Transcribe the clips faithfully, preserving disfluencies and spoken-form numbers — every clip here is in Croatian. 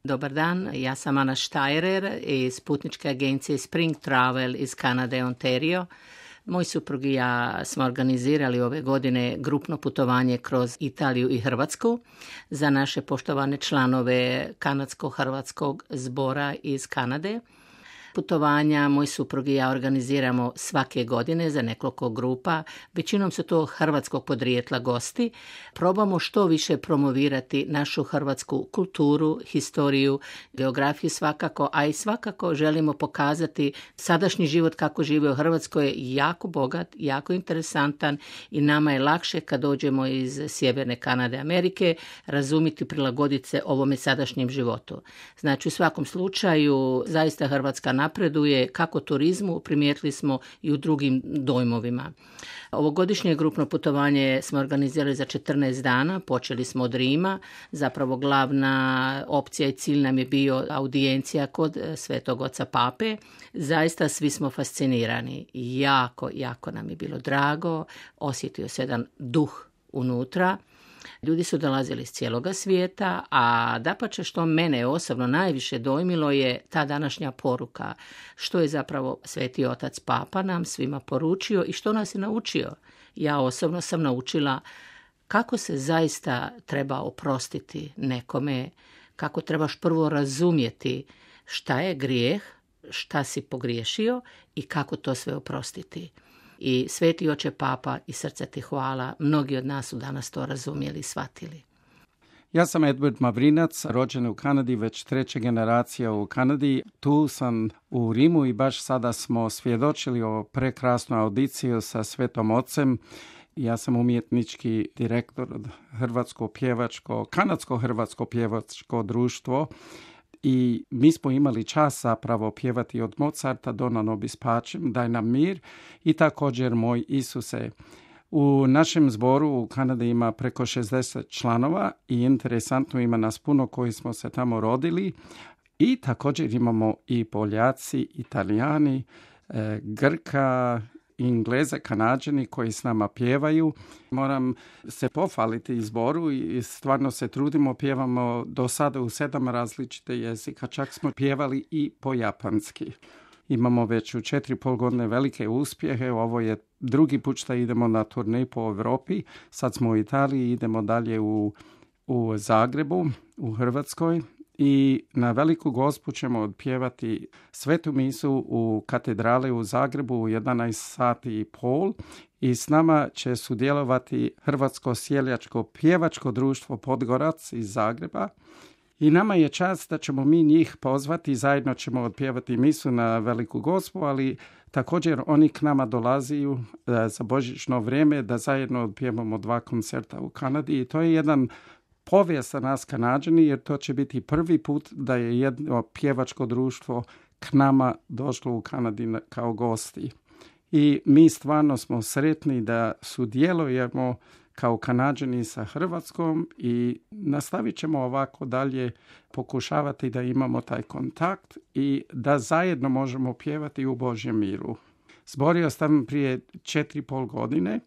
Dobar dan, ja sam Ana Štajrer iz putničke agencije Spring Travel iz Kanade, Ontario. Moj suprug i ja smo organizirali ove godine grupno putovanje kroz Italiju i Hrvatsku za naše poštovane članove kanadsko-hrvatskog zbora iz Kanade. Putovanja moj suprug i ja organiziramo svake godine za nekoliko grupa. Većinom su to hrvatskog podrijetla gosti. Probamo što više promovirati našu hrvatsku kulturu, historiju, geografiju svakako, a i svakako želimo pokazati sadašnji život kako žive u Hrvatskoj je jako bogat, jako interesantan i nama je lakše kad dođemo iz sjeverne Kanade, Amerike, razumjeti, prilagoditi se ovome sadašnjem životu. Znači u svakom slučaju zaista Hrvatska napreduje kako turizmu, primijetili smo i u drugim dojmovima. Ovogodišnje grupno putovanje smo organizirali za četrnaest dana, počeli smo od Rima, zapravo glavna opcija i cilj nam je bio audijencija kod Svetog Oca Pape. Zaista svi smo fascinirani, jako, jako nam je bilo drago, osjetio se jedan duh unutra. Ljudi su dolazili iz cijeloga svijeta, a dapače što mene osobno najviše dojmilo je ta današnja poruka, što je zapravo Sveti Otac Papa nam svima poručio i što nas je naučio. Ja osobno sam naučila kako se zaista treba oprostiti nekome, kako trebaš prvo razumjeti šta je grijeh, šta si pogriješio i kako to sve oprostiti. I Sveti Oče Papa i srce ti hvala, mnogi od nas su danas to razumjeli i shvatili. Ja sam Edward Mavrinac, rođen u Kanadi, već treća generacija u Kanadi. Tu sam u Rimu i baš sada smo svjedočili o prekrasnu audiciju sa Svetom Ocem. Ja sam umjetnički direktor od Hrvatsko pjevačko, Kanadsko-hrvatsko pjevačko društvo. I mi smo imali čas zapravo pjevati od Mozarta Dona nobis pacem, daj nam mir, i također Moj Isuse. U našem zboru u Kanadi ima preko šezdeset članova i interesantno ima nas puno koji smo se tamo rodili. I također imamo i Poljaci, Italijani, e, Grka, Ingleze, Kanađani koji s nama pjevaju. Moram se pohvaliti zboru i stvarno se trudimo, pjevamo do sada u sedam različite jezika, čak smo pjevali i po japanski. Imamo već u četiri pol godine velike uspjehe, ovo je drugi put što idemo na turnej po Europi, sad smo u Italiji, idemo dalje u, u Zagrebu, u Hrvatskoj. I na Veliku Gospu ćemo odpjevati svetu misu u katedrali u Zagrebu u jedanaest sati i pol i s nama će sudjelovati Hrvatsko sjeljačko pjevačko društvo Podgorac iz Zagreba. I nama je čast da ćemo mi njih pozvati, zajedno ćemo odpjevati misu na Veliku Gospu, ali također oni k nama dolaziju za božićno vrijeme da zajedno odpjevamo dva koncerta u Kanadi i to je jedan povijest za nas Kanađani, jer to će biti prvi put da je jedno pjevačko društvo k nama došlo u Kanadi kao gosti. I mi stvarno smo sretni da sudjelujemo kao Kanađani sa Hrvatskom i nastavit ćemo ovako dalje pokušavati da imamo taj kontakt i da zajedno možemo pjevati u Božjem miru. Zbor je ostavljen prije četiri pol godine.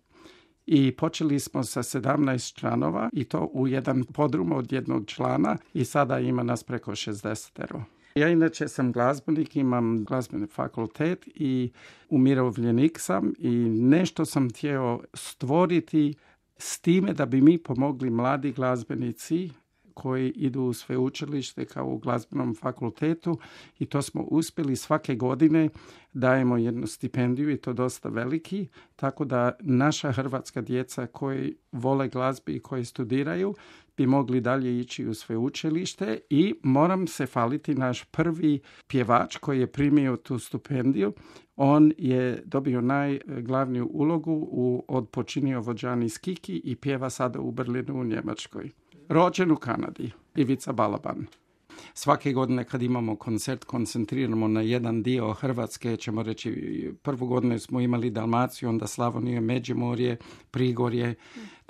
I počeli smo sa sedamnaest članova i to u jedan podrum od jednog člana i sada ima nas preko šezdesetero. Ja inače sam glazbenik, imam glazbeni fakultet i umirovljenik sam i nešto sam htio stvoriti s time da bi mi pomogli mladi glazbenici koji idu u sveučilište kao u glazbenom fakultetu i to smo uspjeli svake godine, dajemo jednu stipendiju i to dosta veliki, tako da naša hrvatska djeca koji vole glazbi i koji studiraju bi mogli dalje ići u sveučilište i moram se faliti naš prvi pjevač koji je primio tu stipendiju. On je dobio najglavniju ulogu u Od počinio vođani Skiki i pjeva sada u Berlinu u Njemačkoj. Rođen u Kanadi, Ivica Balaban. Svake godine kad imamo koncert koncentriramo na jedan dio Hrvatske, ćemo reći prvu godinu smo imali Dalmaciju, onda Slavoniju, Međimurje, Prigorje,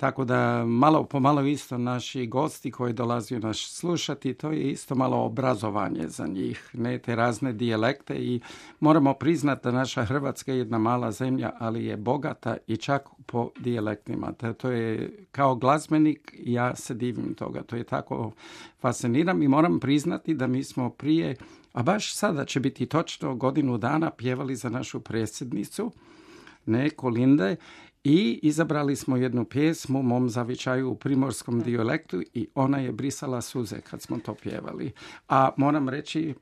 Tako da malo po malo isto naši gosti koji dolaze nas slušati, to je isto malo obrazovanje za njih, ne te razne dijalekte i moramo priznati da naša Hrvatska je jedna mala zemlja, ali je bogata i čak po dijalektima. To je kao glazbenik, ja se divim toga, to je tako fasciniram i moram priznati da mi smo prije, a baš sada će biti točno godinu dana pjevali za našu predsjednicu, ne, Kolinde, i izabrali smo jednu pjesmu Mom zavičaju u primorskom dijalektu i ona je brisala suze kad smo to pjevali. A moram reći,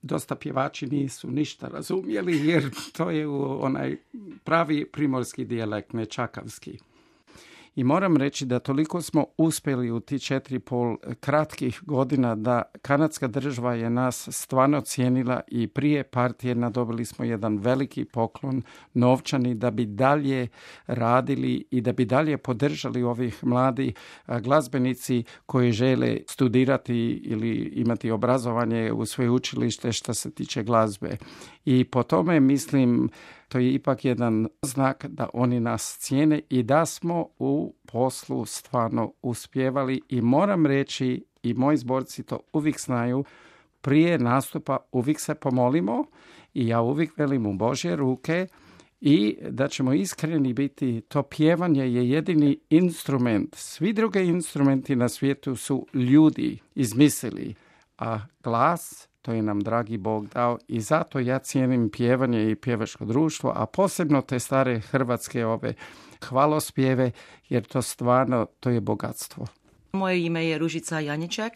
dosta pjevači nisu ništa razumjeli jer to je onaj pravi primorski dijalekt, ne čakavski. I moram reći da toliko smo uspjeli u ti četiri pol kratkih godina da kanadska država je nas stvarno cijenila i prije partije nadobili smo jedan veliki poklon novčani da bi dalje radili i da bi dalje podržali ovih mladi glazbenici koji žele studirati ili imati obrazovanje u svoje učilište što se tiče glazbe. I po tome mislim to je ipak jedan znak da oni nas cijene i da smo u poslu stvarno uspjevali i moram reći i moji zborci to uvijek znaju, prije nastupa uvijek se pomolimo i ja uvijek velim u Božje ruke i da ćemo iskreni biti, to pjevanje je jedini instrument. Svi drugi instrumenti na svijetu su ljudi izmislili, a glas to je nam dragi Bog dao i zato ja cijenim pjevanje i pjevačko društvo, a posebno te stare hrvatske ove hvalospjeve, jer to stvarno, to je bogatstvo. Moje ime je Ružica Janjiček.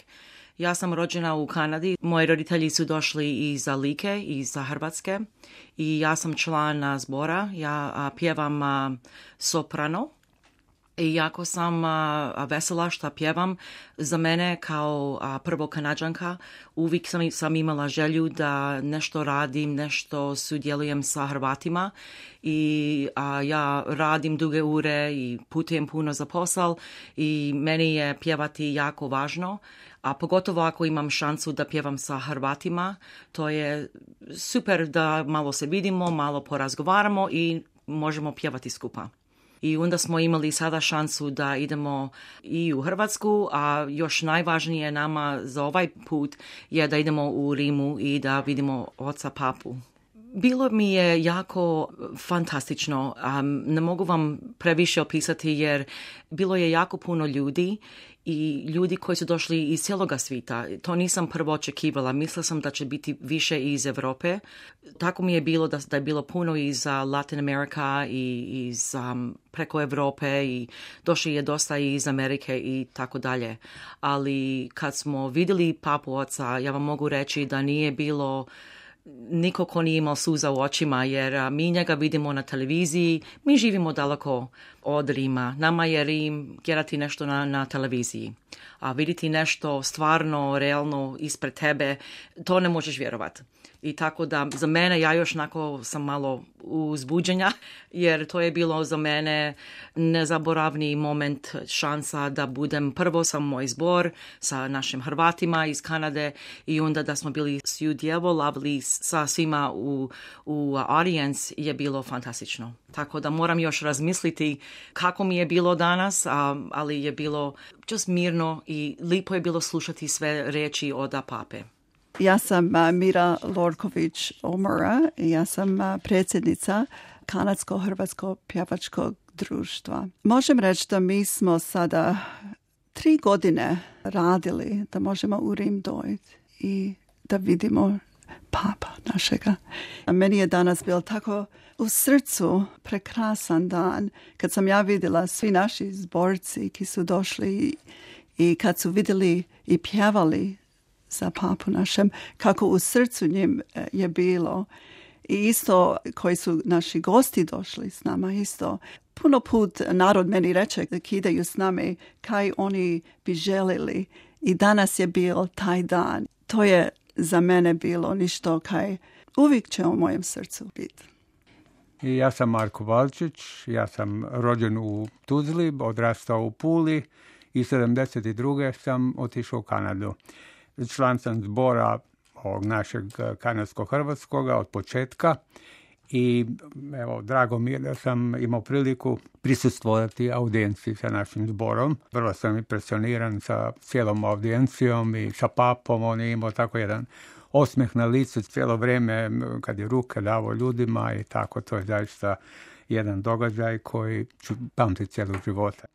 Ja sam rođena u Kanadi. Moji roditelji su došli iz Like, iz Hrvatske i ja sam član zbora. Ja a, pjevam a, soprano. I jako sam a, vesela što pjevam. Za mene kao a, prvo Kanadžanka uvijek sam, sam imala želju da nešto radim, nešto sudjelujem sa Hrvatima i a, ja radim duge ure i putujem puno za posao i meni je pjevati jako važno. A pogotovo ako imam šansu da pjevam sa Hrvatima, to je super da malo se vidimo, malo porazgovaramo i možemo pjevati skupa. I onda smo imali sada šansu da idemo i u Hrvatsku, a još najvažnije nama za ovaj put je da idemo u Rimu i da vidimo oca papu. Bilo mi je jako fantastično. Um, ne mogu vam previše opisati jer bilo je jako puno ljudi i ljudi koji su došli iz cijeloga svijeta. To nisam prvo očekivala. Mislila sam da će biti više iz Europe. Tako mi je bilo da, da je bilo puno iz uh, Latin Amerika i iz um, preko Europe i došli je dosta iz Amerike i tako dalje. Ali kad smo vidjeli papu oca, ja vam mogu reći da nije bilo niko ko nije imao suza u očima, jer a, mi njega vidimo na televiziji, mi živimo daleko od Rima. Nama je Rim gledati nešto na, na televiziji, a vidjeti nešto stvarno, realno ispred tebe, to ne možeš vjerovati. I tako da za mene, ja još onako sam malo uzbuđenja, jer to je bilo za mene nezaboravni moment, šansa da budem prvo sa moj zbor, sa našim Hrvatima iz Kanade i onda da smo bili sudjelovali sa svima u, u audience je bilo fantastično. Tako da moram još razmisliti kako mi je bilo danas, a, ali je bilo just mirno i lipo je bilo slušati sve riječi od pape. Ja sam uh, Mira Lorković-Omora i ja sam uh, predsjednica Kanadsko-Hrvatskog pjevačkog društva. Možem reći da mi smo sada tri godine radili da možemo u Rim dojti i da vidimo papa našega. A meni je danas bilo tako u srcu prekrasan dan kad sam ja vidjela svi naši zborci ki su došli i, i kad su vidjeli i pjevali za papu našem, kako u srcu njim je bilo. I isto koji su naši gosti došli s nama, isto. Puno put narod meni reče da kidaju s nami kaj oni bi želili. I danas je bio taj dan. To je za mene bilo ništo kaj uvijek će u mojem srcu biti. Ja sam Marko Valčić, ja sam rođen u Tuzli, odrastao u Puli i sedamdeset druge sam otišao u Kanadu. Član sam zbora ovog našeg kanadsko-hrvatskoga od početka I evo, drago mi je da sam imao priliku prisustvovati audijenciji sa našim zborom. Vrlo sam impresioniran sa cijelom audijencijom i sa papom. On je imao tako jedan osmeh na licu cijelo vrijeme kad je ruke davo ljudima i tako. To je zaista jedan događaj koji ću pamtiti cijelog života.